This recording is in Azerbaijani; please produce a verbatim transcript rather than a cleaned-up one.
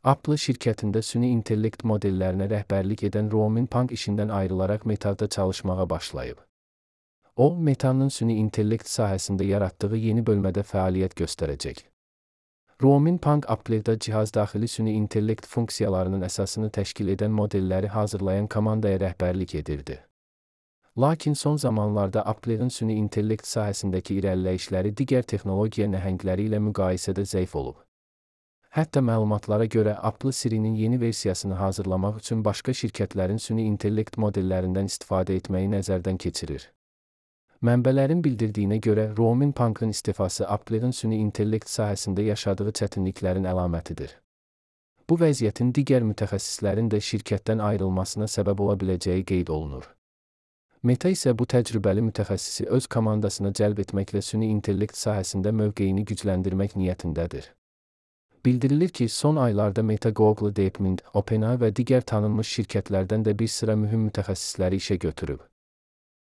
Apple şirkətində süni intellekt modellərinə rəhbərlik edən Romin Pang işindən ayrılaraq Meta'da çalışmağa başlayıb. O, Meta'nın süni intellekt sahəsində yaratdığı yeni bölmədə fəaliyyət göstərəcək. Romin Pang Apple'da cihazdaxili süni intellekt funksiyalarının əsasını təşkil edən modelləri hazırlayan komandaya rəhbərlik edirdi. Lakin son zamanlarda Apple'ın süni intellekt sahəsindəki irəliləyişləri digər texnologiya nəhəngləri ilə müqayisədə zəif olub. Hətta məlumatlara görə Apple Siri'nin yeni versiyasını hazırlamaq üçün başqa şirkətlərin süni intellekt modellərindən istifadə etməyi nəzərdən keçirir. Mənbələrin bildirdiyinə görə Romin Pang'ın istifası Apple'ın süni intellekt sahəsində yaşadığı çətinliklərin əlamətidir. Bu vəziyyətin digər mütəxəssislərin də şirkətdən ayrılmasına səbəb ola biləcəyi qeyd olunur. Meta isə bu təcrübəli mütəxəssisi öz komandasına cəlb etməklə süni intellekt sahəsində mövqeyini gücləndirmək niyyətindədir. Bildirilir ki, son aylarda Meta Google, DeepMind, OpenAI və digər tanınmış şirkətlərdən də bir sıra mühüm mütəxəssisləri işə götürüb.